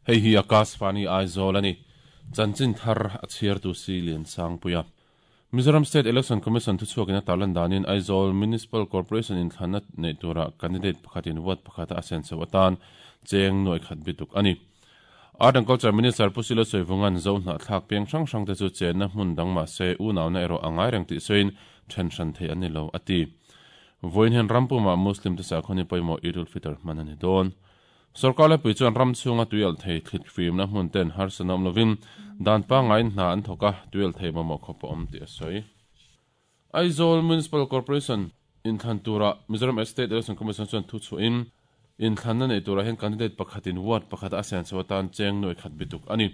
Hei hi Akashvani Aizawl a ni. Chanchin thar a chhiartu si Liansangpuia. Mizoram State Election Commission thuchhuakin a tarlan danin Aizawl Municipal Corporation inthlanna neih tura candidate pakhatin vote pakhata a senso atan cheng nuai khat bituk a ni. Art and Culture Minister Pu Silo Sawivunga'n Zo hnahthlak piang hrang hrangte chu chenna hmun dang mah se unauna erawh a ngai reng tih sawiin then hran thei an ni lo, a ti. Vawiin hian ram pumah Muslim te sakhaw ni pawimawh Eid ul-Fitr hman a ni dawn. Sorkar lepui chuan ram chhunga tuialh thei thlit fimna hmun ten harsatna awm lovin dan pangaiin hna an thawk a, tuialh thei mamawh khawp a awm tih a sawi. Aizawl Municipal Corporation inthlan turah Mizoram State Election Commission chuan thu chhuahin inthlanna neih turah hian candidate pakhatin ward pakhata a senso atan cheng nuai khat bituk a ni.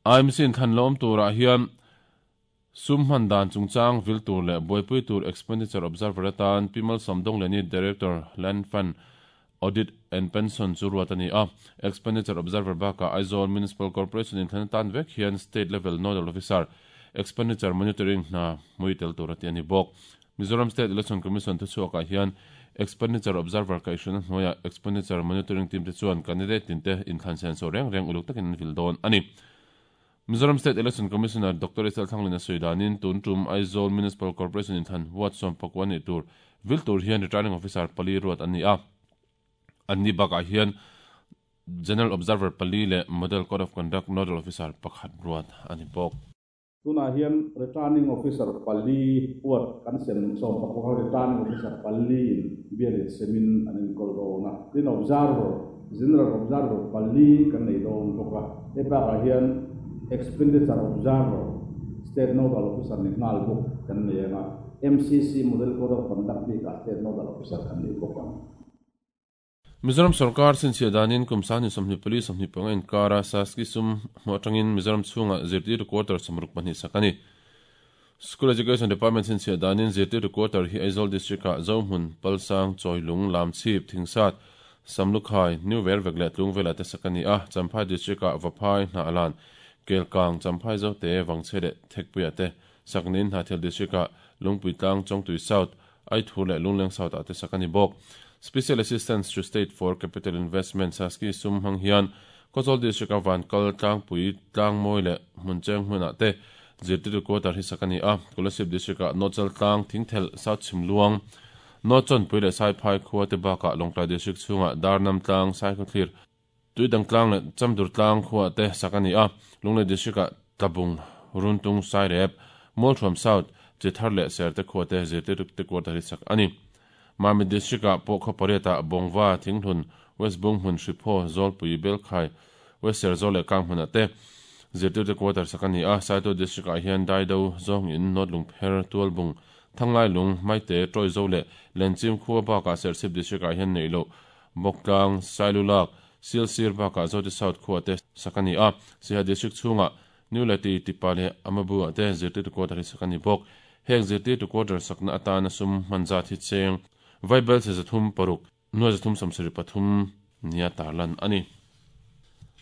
IMC inthlan la awm turah hian Sum hman dan chungchang vil tur leh buaipui tur Expenditure Observer atan Pi Malsawm Dongleni, Director, Land Fund, Audit and Pension chu ruat a ni a. Expenditure Observer bakah Aizawl Municipal Corporation inthlan atan vek hian State Level Nodal Officer, Expenditure Monitoring hna hmui tel tur a ti a ni bawk. Mizoram State Election Commission thuchhuakah hian Expenditure Observer kaihhruaina hnuaiah Expenditure Monitoring Team te chuan candidate tinte inthlan senso reng reng uluk takin an vil dawn a ni. Mizoram State Election Commissioner Doctor Isel Thanglin a sawi danin tun tum Aizawl Municipal Corporation inthlan ward 14 nih tur vil tur hian Returning Officer pali ruat an ni a. An ni bakah hian General Observer pali leh Model Code of Conduct Nodal Officer pakhat ruat a ni bawk. Tunah hian Returning Officer pali ward kan sem 14 Returning Officer pali in bialin semin an enkawl dawn a. Tin Observer General Observer pali kan nei dawn bawk a, hei bakah hian Expenditure Observer, State Nodal Officer ni nghal bawk kan nei ang a, MCC Model Code of Conduct bikah State Nodal Officer kan nei bawk ang. Mizoram sorkar chhinchhiah danin kum 2024 25 inkara Saski sum hmuh atangin Mizoram chhungah zirtirtu quarter 62 sak a ni. School Education Department chhinchhiah danin zirtirtu quarter hi Aizawl District-ah Zohmun, Palsang, Chawilung, Lamchhip, Thingsat, Samlukhai, New Vervek leh Tlungvela te sak a ni a, Champhai District-ah Vaphai, Hnahlan, Kelkang, Champhai Zote, Vangchhe leh Thekpuiah te sak niin Hnahthial District-ah Lungpuitlang, Chawngtui South, Aithur leh Lungleng South-ah te sak a ni bawk. Special Assistance to State for Capital Investment, SASCI, sum hmang hian Khawzawl District-a Vankal, Tlangpui, Tlangmawi leh Hmuncheng hmunah te zirtirtu quarter hi sak a ni a. Kolasib District-ah Nawchal Tlang, Thingthelh, South Chhimluang, Nawchawnpui leh Saiphai khua te bakah Lawngtlai District chhungah Darnam Tlang, Saikhawthlir, Tuidang Tlang leh Chamdur Tlang khuaah te sak a ni a. Lunglei District-ah Tlabung, Runtung, Sairep, Mualthuam South, Chithar leh Serte khua te zirtirtu te quarter hi sak a ni. Mamit District-ah pawh khaw pariatah Bawngva, Thinghlun, West Bunghmun, Hriphaw, Zawlpui, Belkhai, West Serzawl leh Kanghmunah te zirtirtu quarter sak a ni a. Saitual District-ah hian Daido, Zawngin, North Lungpher, Tualbung, Thanglailung, Maite, Tawizo leh Lenchim khua bakah Serchhip District-ah hian neih loh Bawktlang, Sailulak, Silsir bakah Zote South khua te sak a ni a. Siha District chhungah New Lati, Tipa leh Amabu ah te zirtirtu quarter hi sak a ni bawk. Heng zirtirtu quarter sakna atana sum hman zat hi cheng Vaibel chhe 306, nuai 373 nia tarlan a ni.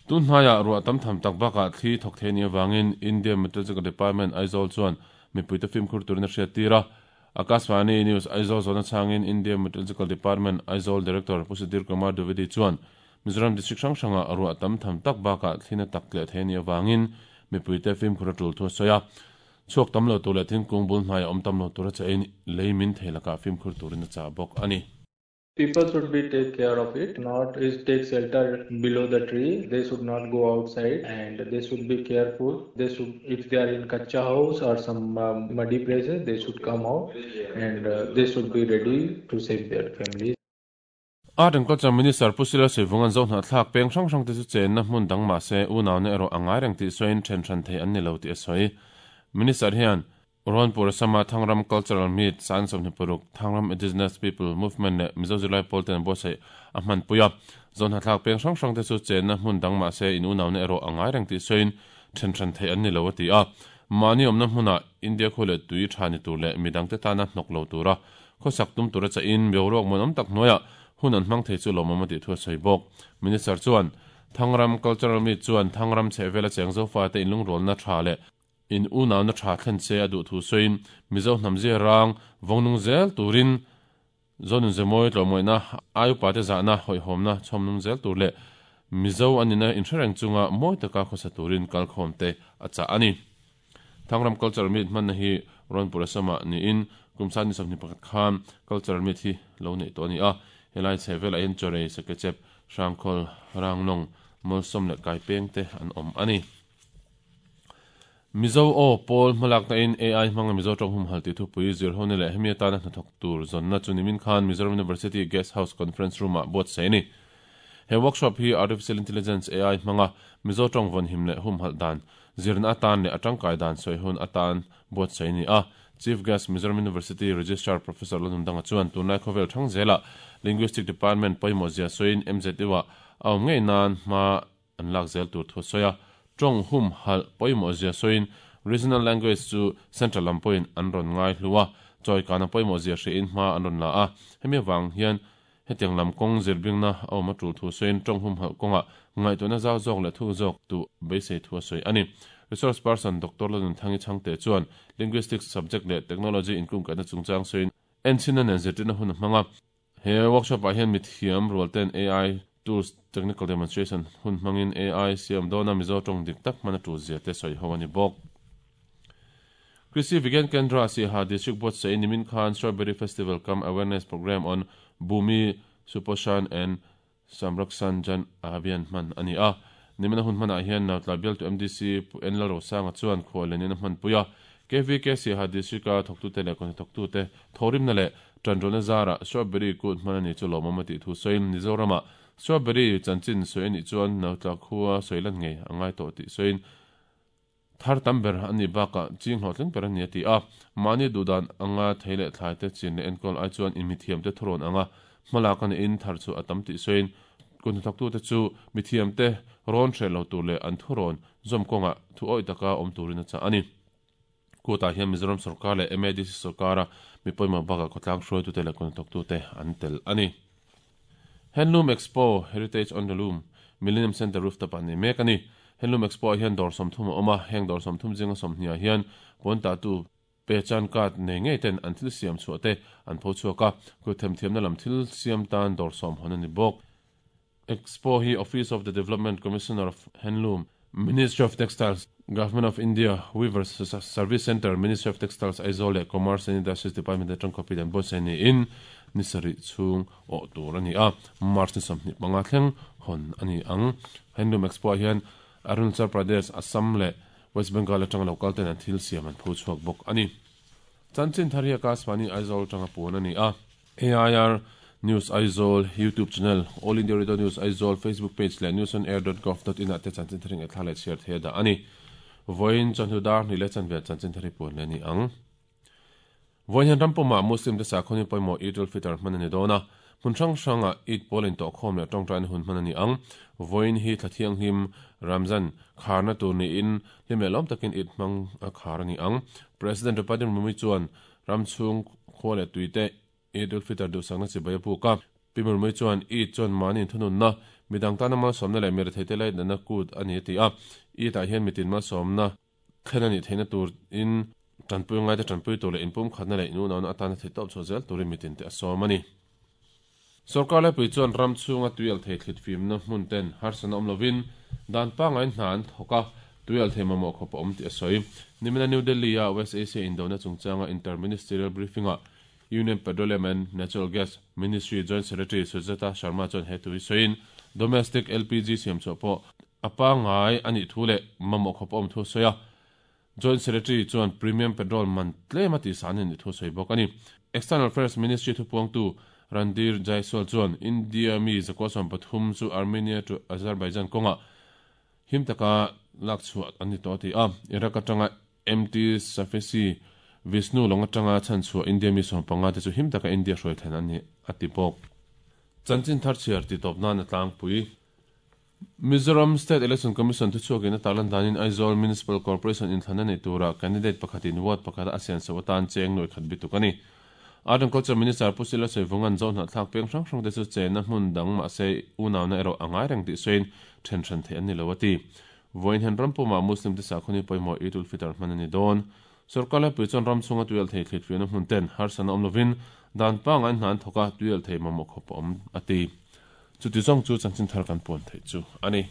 Tun hnaiah ruah tam tham tak bakah thli thawk thei anih avangin India Meteorological Department Aizawl chuan mipuite fimkhur turin a hriattir a. Akashvani News Aizawl zawhna chhangin India Meteorological Department Aizawl Director Pu Sudhir Kumar Dwivedi chuan Mizoram District hrang hrangah ruah tam tham tak bakah thlina tak tleh thei anih avangin mipuite fimkhur a tul thu a sawi a. Chhuak tam lo tur leh thingkung bul hnaiah awm tam lo tura chahin lei min thei lakah fimkhur turin a chah bawk a ni. People should be take care of it, not is take shelter below the tree, they should not go outside and they should be careful. They should, if they are in kacha house or some muddy places, they should come out and they should be ready to save their families. Art and Culture Minister Pu Sila Suivunga'n Zohnahthlak peng hrang hrang te chu chenna hmun dang mah se unauna erawh a ngai reng tih sawiin then hran thei an ni lo tih a sawi. Minister hian Rawnpur Assam-a Thangram Cultural Meet, Sang 26, Thangram Indigenous People Movement leh Mizo Zirlai Pawl ten buatsaih a hmanpui a. Zohnahthlak peng hrang hrang te chu chenna hmun dang mah se in unauna erawh a ngai reng tih sawiin then hran theih an ni lo a ti a. Mahni awmna hmunah India khua leh tui tha ni tur leh midangte tana hnawk lo tura khawsak tum tura chahin boruak muanawm tak hnuaiah hun an hmang thei chu lawmawm a tih thu a sawi bawk. Minister chuan Thangram Cultural Meet chuan Thangram chhehvela cheng Zofate inlungrualna tha leh In unauna tha thlen che a duh thu sawiin Mizo hnam zia rang vawngnung zel turin Zonun Zemawi tlawmngawihna, ai upate zahna, hawihhawmna chhawmnung zel tur leh Mizo an nihna inhrereng chunga mawi taka khawsa turin kalkhawmte a chah a ni. Thangram Cultural Meet hmanna hi Rawnpur Assam-ah niin kum sangni 21 khan Cultural Meet hi lo neih tawh a ni a. Helai chheh velah hian Chawrei, Sakechep, Hrangkhawl, Ranglawng, Mawlsawm leh Kaipeng te an awm a ni. Mizo aw pawl hmalakna in AI hmanga Mizo tawng humhal tih thupui zirhona leh hemi atana hnathawk tur zawnna chu nimin khan Mizoram University Guest House Conference Room ah buatsaih a ni. He workshop hi Artificial Intelligence, AI, hmanga Mizo tawng vawnhim leh humhalh dan zirna atan leh a tangkai dan sawi hun atan buatsaih a ni a. Chief Guest Mizoram University Registrar Professor Lalnundanga chuan tunlai khawvel thang zelah Linguistic Department pawimawh zia sawiin MZU ah a awm ngei nan hma an lak zel tur thu a sawi a, tawng hum halh pawimawh zia sawiin regional language chu central lam pawhin an rawn ngai hlu a, chawikana pawimawh zia hriain hma an rawn la a, hemi avang hian hetiang lam kawng zirbingna a awm a tul thu sawiin tawng hum halh kawngah ngaihtuahna zau zawk leh thuk zawk duh beisei thu a sawi a ni. Resource person Doctor Lalnunthangi Chhangte chuan Linguistics subject leh technology inkungkaihna chungchang sawiin enchhinna nen zirtirna hun a hmang a, He workshop ah hian mithiam rual ten AI tools technical demonstration hun hmangin AI siam dawna Mizo tawng dik tak hman a tul zia te sawi ho a ni bawk. Krishi Vigyan Kendra Siaha District buatsaih nimin khan Strawberry Festival cum Awareness Programme on Bhumi Suposhan and Samrakshan Jan Abhiyan hman a ni a. Nimina hun hmanah hian Nautla bialtu MDC Pu N Lalrosanga chuan khuallenin a hmanpui a. KVK Siaha District-a thawktute leh kawhnathawktute thawhrimna leh tanrualna zarah Strawberry kut hman a ni chu lawmawm a tih thu sawiin Mizoramah Strawberry chanchin sawi a nih chuan Nautla khua sawi lan ngei a ngai tawh tih sawiin Thar tam ber a nih bakah ching hlawhtling ber a ni a ti a. Mahni duhdan anga thei leh thlai te chin leh enkawl ai chuan inmithiamte thurawn anga hmalak a niin thar chu a tam tih sawiin kut hnathawktute chu mithiamte rawn hreh lo tur leh an thurawn zawm kawngah thu awih taka awm turin a chah a ni. Kutah hian Mizoram sawrkar leh MADC sawrkara mi pawimawh bakah khawtlang hruaitute leh kut hnathawktute an tel a ni. Handloom Expo, Heritage on the Loom, Millennium Centre rooftop ah nei mek a ni. Handloom Expo ah hian dawr 30 a awm a, heng dawr 30 zinga 20 ah hian puan tahtu Pehchan card nei ngei ten an thil siam chhuah te an pho chhuak a, kut themthiamna lam thil siam tan dawr 10 hawn a ni bawk. Expo hi Office of the Development Commissioner of Handloom, Ministry of Textiles, Government of India, Weavers Service Centre, Ministry of Textiles, Aizawl leh Commerce and Industries Department atang khawpin an buatsaih niin ni sarih chhung awh tur a ni a, March ni 25 thleng hawn a ni ang. Handloom Expo ah hian Arunachal Pradesh, Assam leh West Bengal atanga lo kal ten an thil siam an pho chhuak bawk a ni. Chanchin thar hi Akashvani Aizawl atanga puan a ni a. AIR News Aizawl YouTube channel, All India Radio News Aizawl Facebook page leh newsonair.gov.in ah te chanchin thar hi ngaihthla leh chhiar thei a dah a ni. Vawiin chawhnu dar hnih leh chanve chanchin thar hi puan leh a ni ang. Vawiin hian ram pumah Muslim te sakhaw ni pawimawh Eid ul-Fitr hman a ni dawn a. Hmun hrang hrangah Eid pawl intawhkhawm leh tawngtaina hun hman a ni ang. Vawiin hi thla thianghlim Ramzan kharna tur niin hlim leh lawm takin Eid hmang a khar a ni ang. President Draupadi Murmu chuan Ram chhung khua leh tui te Eid ul-Fitr duhsakna chibai a puk a. Pi Murmui chuan Eid chuan mahni inthununna, midang tana malsawmna leh miretheite laitnatna kut a ni a ti a. Eid ah hian mitin malsawmna thlen a nih theihna turin tanpui ngaite tanpui tur leh inpumkhatna leh inunauna atana theihtawp chhuah zel turin mitin te a sawm a ni. Sorkar laipui chuan ram chhunga tuialthei thlit fimna hmun ten harsatna awm lovin dan pangngai hna an thawk a, tuialthei mamawh khawp a awm tih a sawi. Nimina New Delhi-a West Asia indona chungchanga Inter-Ministerial Briefing-ah Union Petroleum and Natural Gas Ministry Joint Secretary Sujata Sharma chuan he thu hi sawiin domestic LPG siamchhuah pawh a pangngai a nih thu leh mamawh khawp a awm thu a sawi a. Joint Secretary chuan Premium Petrol man tlem a tihsan a nih thu a sawi bawk a ni. External Affairs Ministry thupuangtu Randhir Jaiswal chuan India mi zakua 13 chu Armenia to Azerbaijan kawngah him taka lak chhuah an ni tawh a ti a. Iraq atanga MT Safesi Vishnu lawng atanga chhanchhuah India mi 15 te chu him taka India hruai thlen an ni a ti bawk. Chanchin thar chhiar titawp nan a tlangpui. Mizoram State Election Commission thuchhuakin a tarlan danin Aizawl Municipal Corporation inthlanna nei tura candidate pakhatin ward pakhata a sianso atan cheng nuai khat bituk a ni. Art and Culture Minister Pu Sila Sawivunga'n Zohnahthlak peng hrang hrangte chu chenna hmun dang mahse unauna erawh a ngai reng tih sawiin then hran theih an ni lo a ti. Vawiin hian ram pumah Muslim te sakhaw ni pawimawh Eid ul Fitr hman a ni dawn. Sorkar laipui chuan ram chhunga tuialh thei thlit fiahna hmun ten harsatna awm lovin dan pangngai hna an thawk a, tuialh thei mamawh khawp a awm a ti. Chuti zawng chu chanchin thar kan puan theih chu a ni.